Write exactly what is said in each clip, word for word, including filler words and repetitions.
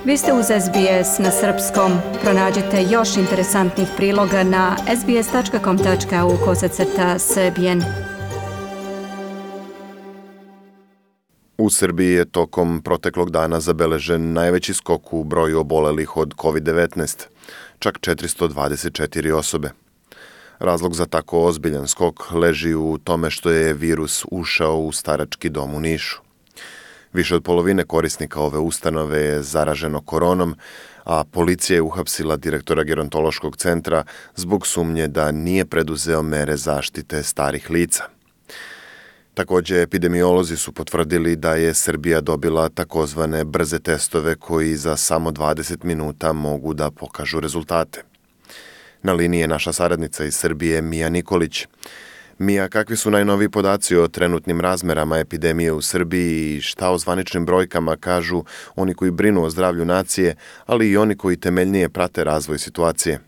Vi ste uz S B S na srpskom. Pronađite još interesantnih priloga na sbs tačka com tačka au kosacrta srbijen. U Srbiji je tokom proteklog dana zabeležen najveći skok u broju obolelih od kovid devetnaest, čak četiristo dvadeset četiri osobe. Razlog za tako ozbiljan skok leži u tome što je virus ušao u starački dom u Nišu. Više od polovine korisnika ove ustanove je zaraženo koronom, a policija je uhapsila direktora gerontološkog centra zbog sumnje da nije preduzeo mere zaštite starih lica. Također, epidemiolozi su potvrdili da je Srbija dobila takozvane brze testove koji za samo dvadeset minuta mogu da pokažu rezultate. Na liniji je naša saradnica iz Srbije, Mija Nikolić. Mija, kakvi su najnoviji podaci o trenutnim razmerama epidemije u Srbiji i šta o zvaničnim brojkama kažu oni koji brinu o zdravlju nacije, ali i oni koji temeljnije prate razvoj situacije?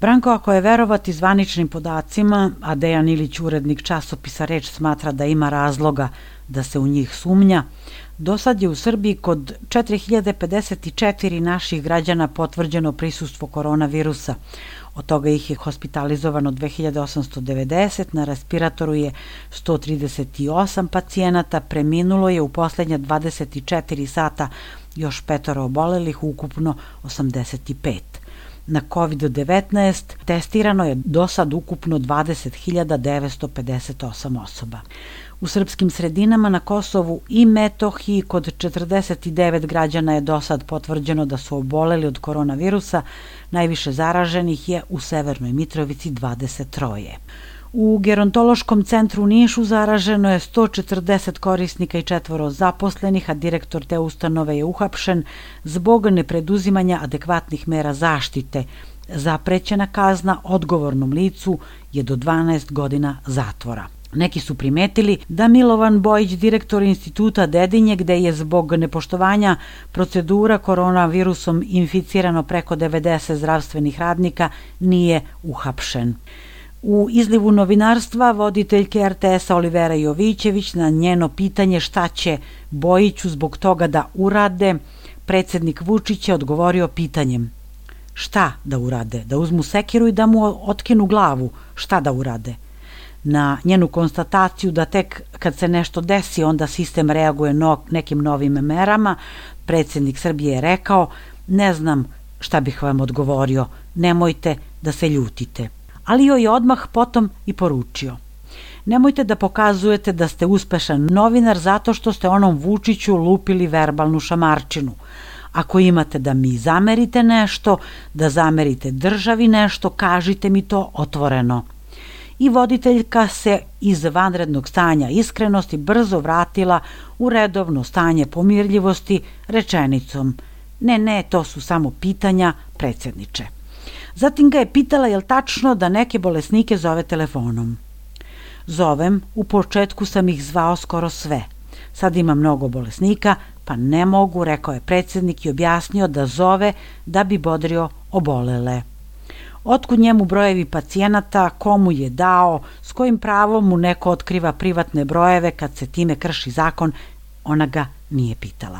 Branko, ako je verovati zvaničnim podacima, a Dejan Ilić, urednik časopisa Reč, smatra da ima razloga da se u njih sumnja, do sad je u Srbiji kod četiri hiljade pedeset četiri naših građana potvrđeno prisustvo koronavirusa. Od toga ih je hospitalizovano dve hiljade osamsto devedeset, na respiratoru je sto trideset osam pacijenata, preminulo je u poslednja dvadeset četiri sata još petoro obolelih, ukupno osamdeset pet. Na kovid devetnaest testirano je do sad ukupno dvadeset hiljada devetsto pedeset osam osoba. U srpskim sredinama na Kosovu i Metohiji kod četrdeset devet građana je do sad potvrđeno da su oboleli od koronavirusa, najviše zaraženih je u Severnoj Mitrovici dvadeset tri. U gerontološkom centru u Nišu zaraženo je sto četrdeset korisnika i četvoro zaposlenih, a direktor te ustanove je uhapšen zbog nepreduzimanja adekvatnih mera zaštite. Zaprećena kazna odgovornom licu je do dvanaest godina zatvora. Neki su primetili da Milovan Bojić, direktor instituta Dedinje, gde je zbog nepoštovanja procedura koronavirusom inficirano preko devedeset zdravstvenih radnika, nije uhapšen. U izlivu novinarstva voditeljke er te esa Olivera Jovićević na njeno pitanje šta će Bojiću zbog toga da urade, predsjednik Vučić je odgovorio pitanjem: šta da urade? Da uzmu sekiru i da mu otkinu glavu? Šta da urade? Na njenu konstataciju da tek kad se nešto desi onda sistem reaguje no, nekim novim merama, predsjednik Srbije je rekao: ne znam šta bih vam odgovorio, nemojte da se ljutite. Ali joj je odmah potom i poručio: nemojte da pokazujete da ste uspešan novinar zato što ste onom Vučiću lupili verbalnu šamarčinu. Ako imate da mi zamerite nešto, da zamerite državi nešto, kažite mi to otvoreno. I voditeljka se iz vanrednog stanja iskrenosti brzo vratila u redovno stanje pomirljivosti rečenicom: ne, ne, to su samo pitanja, predsjedniče. Zatim ga je pitala je li tačno da neke bolesnike zove telefonom. Zovem, u početku sam ih zvao skoro sve. Sad ima mnogo bolesnika, pa ne mogu, rekao je predsjednik i objasnio da zove da bi bodrio obolele. Otkud njemu brojevi pacijenata, komu je dao, s kojim pravom mu neko otkriva privatne brojeve kad se time krši zakon, ona ga nije pitala.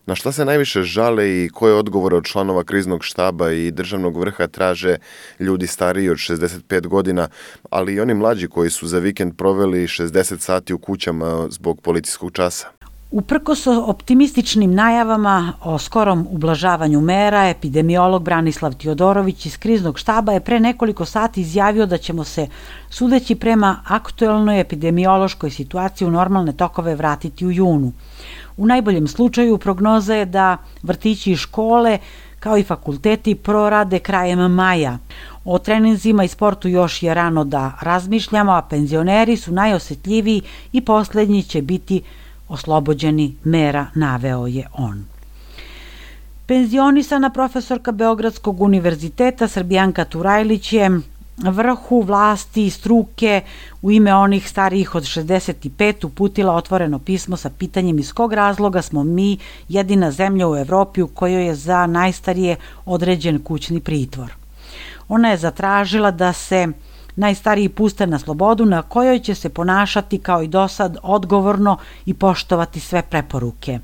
Na šta se najviše žale i koje odgovore od članova kriznog štaba i državnog vrha traže ljudi stariji od šezdeset pet godina, ali i oni mlađi koji su za vikend proveli šezdeset sati u kućama zbog policijskog časa? Uprkos optimističnim najavama o skorom ublažavanju mera, epidemiolog Branislav Tiodorović iz kriznog štaba je pre nekoliko sati izjavio da ćemo se, sudeći prema aktuelnoj epidemiološkoj situaciji, u normalne tokove vratiti u junu. U najboljem slučaju prognoza je da vrtići i škole, kao i fakulteti, prorade krajem maja. O treninzima i sportu još je rano da razmišljamo, a penzioneri su najosjetljiviji i posljednji će biti oslobođeni mera, naveo je on. Penzionisana profesorka Beogradskog univerziteta Srbijanka Turajlić je vrhu vlasti i struke u ime onih starijih od šezdeset pet uputila otvoreno pismo sa pitanjem iz kog razloga smo mi jedina zemlja u Evropi u kojoj je za najstarije određen kućni pritvor. Ona je zatražila da se najstariji puste na slobodu na kojoj će se ponašati kao i dosad odgovorno i poštovati sve preporuke.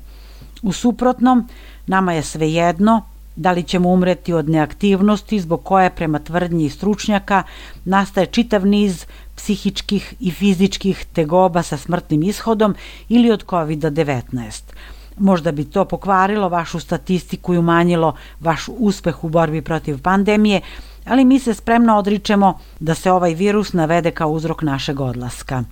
U suprotnom, nama je svejedno, Da li ćemo umreti od neaktivnosti zbog koje, prema tvrdnji stručnjaka, nastaje čitav niz psihičkih i fizičkih tegoba sa smrtnim ishodom ili od kovid devetnaest. Možda bi to pokvarilo vašu statistiku i umanjilo vaš uspeh u borbi protiv pandemije, ali mi se spremno odričemo da se ovaj virus navede kao uzrok našeg odlaska.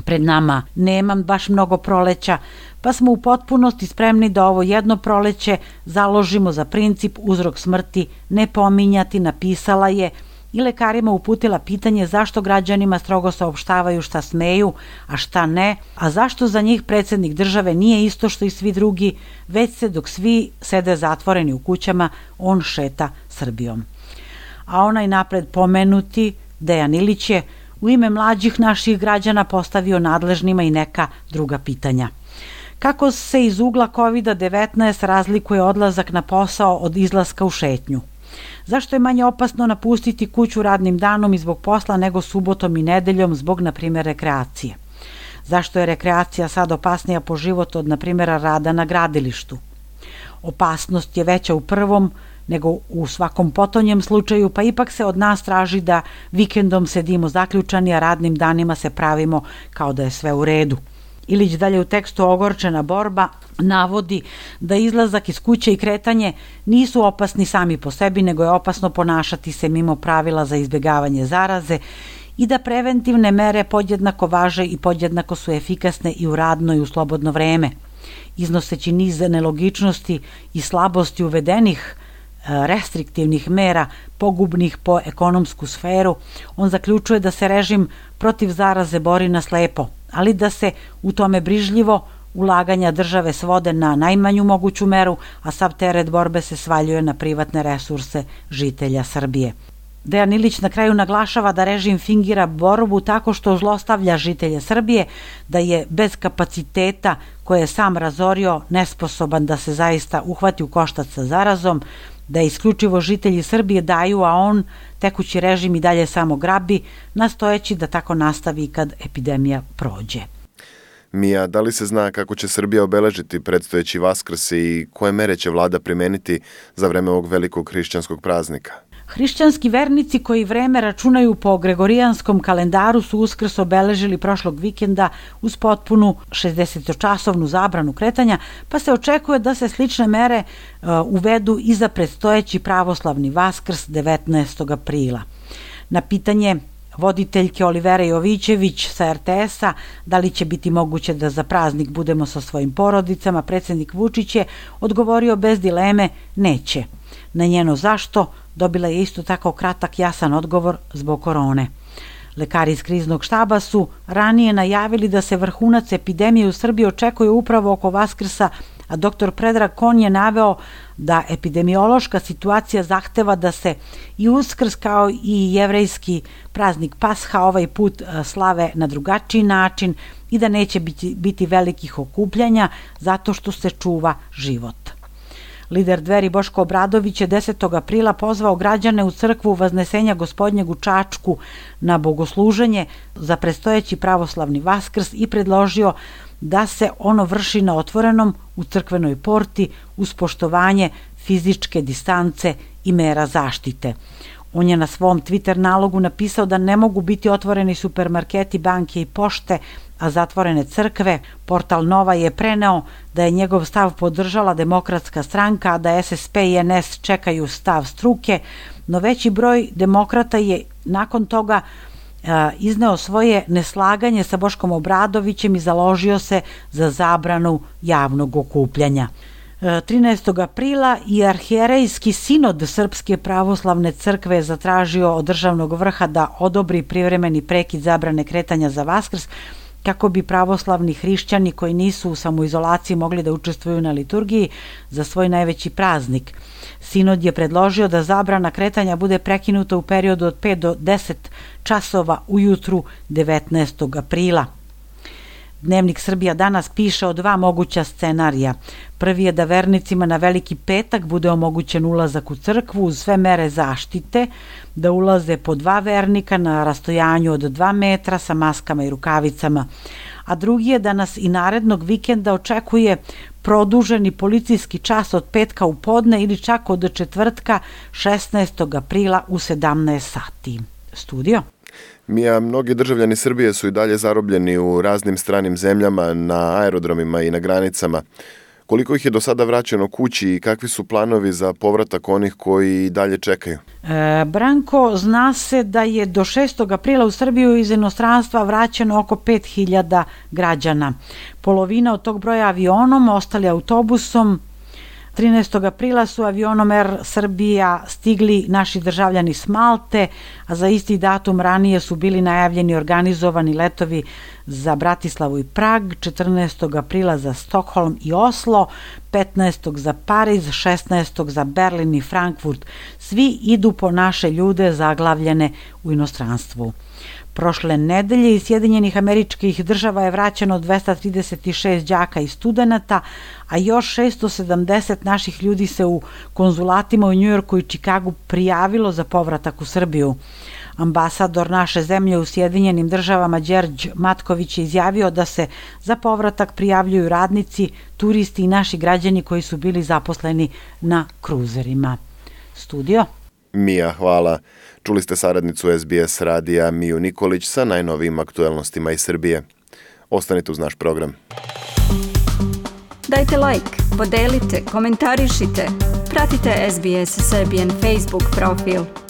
Pred nama nema baš mnogo proleća, pa smo u potpunosti spremni da ovo jedno proleće založimo za princip uzrok smrti ne pominjati, napisala je i lekarima uputila pitanje zašto građanima strogo saopštavaju šta smeju, a šta ne, a zašto za njih predsjednik države nije isto što i svi drugi, već se dok svi sede zatvoreni u kućama, on šeta Srbijom. A onaj napred pomenuti, Dejan Ilić, je u ime mlađih naših građana postavio nadležnima i neka druga pitanja. Kako se iz ugla kovid devetnaest razlikuje odlazak na posao od izlaska u šetnju? Zašto je manje opasno napustiti kuću radnim danom i zbog posla nego subotom i nedeljom zbog, na primjer, rekreacije? Zašto je rekreacija sad opasnija po život od, na primjer, rada na gradilištu? Opasnost je veća u prvom nego u svakom potonjem slučaju, pa ipak se od nas traži da vikendom sedimo zaključani, a radnim danima se pravimo kao da je sve u redu. Ilić dalje u tekstu Ogorčena borba navodi da izlazak iz kuće i kretanje nisu opasni sami po sebi, nego je opasno ponašati se mimo pravila za izbjegavanje zaraze i da preventivne mere podjednako važe i podjednako su efikasne i u radno i u slobodno vreme. Iznoseći niz nelogičnosti i slabosti uvedenih restriktivnih mera pogubnih po ekonomsku sferu, on zaključuje da se režim protiv zaraze bori na slepo, ali da se u tome brižljivo ulaganja države svode na najmanju moguću meru, a sav teret borbe se svaljuje na privatne resurse žitelja Srbije. Dejan Ilić na kraju naglašava da režim fingira borbu tako što zlostavlja žitelje Srbije, da je bez kapaciteta koje je sam razorio nesposoban da se zaista uhvati u koštac sa zarazom, da isključivo žitelji Srbije daju, a on tekući režim i dalje samo grabi, nastojeći da tako nastavi kad epidemija prođe. Mija, da li se zna kako će Srbija obeležiti predstojeći Vaskrs i koje mere će vlada primeniti za vreme ovog velikog hrišćanskog praznika? Hrišćanski vernici koji vreme računaju po gregorijanskom kalendaru su Uskrs obeležili prošlog vikenda uz potpunu šezdesetčasovnu zabranu kretanja, pa se očekuje da se slične mere uh, uvedu i za predstojeći pravoslavni Vaskrs devetnaestog aprila. Na pitanje voditeljke Olivere Jovićević sa er te esa da li će biti moguće da za praznik budemo sa svojim porodicama, predsjednik Vučić je odgovorio bez dileme neće. Na njeno zašto dobila je isto tako kratak jasan odgovor zbog korone. Lekari iz kriznog štaba su ranije najavili da se vrhunac epidemije u Srbiji očekuje upravo oko Vaskrsa, a doktor Predrag Kon je naveo da epidemiološka situacija zahteva da se i Uskrs kao i jevrejski praznik Pasha ovaj put slave na drugačiji način i da neće biti, biti velikih okupljanja zato što se čuva život. Lider Dveri Boško Obradović je desetog aprila pozvao građane u crkvu Vaznesenja Gospodnjeg u Čačku na bogosluženje za predstojeći pravoslavni Vaskrs i predložio da se ono vrši na otvorenom u crkvenoj porti uz poštovanje fizičke distance i mera zaštite. On je na svom Twitter nalogu napisao da ne mogu biti otvoreni supermarketi, banke i pošte, a zatvorene crkve. Portal Nova je preneo da je njegov stav podržala Demokratska stranka, a da es es pe i en es čekaju stav struke, no veći broj demokrata je nakon toga a, izneo svoje neslaganje sa Boškom Obradovićem i založio se za zabranu javnog okupljanja. trinaestog aprila i arhijerejski sinod Srpske pravoslavne crkve je zatražio od državnog vrha da odobri privremeni prekid zabrane kretanja za Vaskrs kako bi pravoslavni hrišćani koji nisu u samoizolaciji mogli da učestvuju na liturgiji za svoj najveći praznik. Sinod je predložio da zabrana kretanja bude prekinuta u periodu od pet do deset časova ujutru devetnaestog aprila. Dnevnik Srbija danas piše o dva moguća scenarija. Prvi je da vernicima na Veliki petak bude omogućen ulazak u crkvu uz sve mere zaštite, da ulaze po dva vernika na rastojanju od dva metra sa maskama i rukavicama. A drugi je da nas i narednog vikenda očekuje produženi policijski čas od petka u podne ili čak od četvrtka šesnaestog aprila u sedamnaest sati. Studio. Mija, mnogi državljani Srbije su i dalje zarobljeni u raznim stranim zemljama, na aerodromima i na granicama. Koliko ih je do sada vraćeno kući i kakvi su planovi za povratak onih koji i dalje čekaju? E, Branko, zna se da je do šestog aprila u Srbiju iz inostranstva vraćeno oko pet hiljada građana. Polovina od tog broja avionom, ostali autobusom. trinaestog aprila su avionom Er Srbija stigli naši državljani s Malte, a za isti datum ranije su bili najavljeni organizovani letovi za Bratislavu i Prag, četrnaestog aprila za Stokholm i Oslo, petnaestog za Pariz, šesnaestog za Berlin i Frankfurt. Svi idu po naše ljude zaglavljene u inostranstvu. Prošle nedelje iz Sjedinjenih Američkih Država je vraćeno dvesta trideset šest đaka i studenata, a još šesto sedamdeset naših ljudi se u konzulatima u Njujorku i Čikagu prijavilo za povratak u Srbiju. Ambasador naše zemlje u Sjedinjenim Državama Đerđ Matković je izjavio da se za povratak prijavljuju radnici, turisti i naši građani koji su bili zaposleni na kruzerima. Studio. Mija, hvala. Čuli ste saradnicu S B S radija Miju Nikolić sa najnovijim aktuelnostima iz Srbije. Ostanite uz naš program. Dajte like, podelite, komentarišite. Pratite S B S Serbian Facebook profil.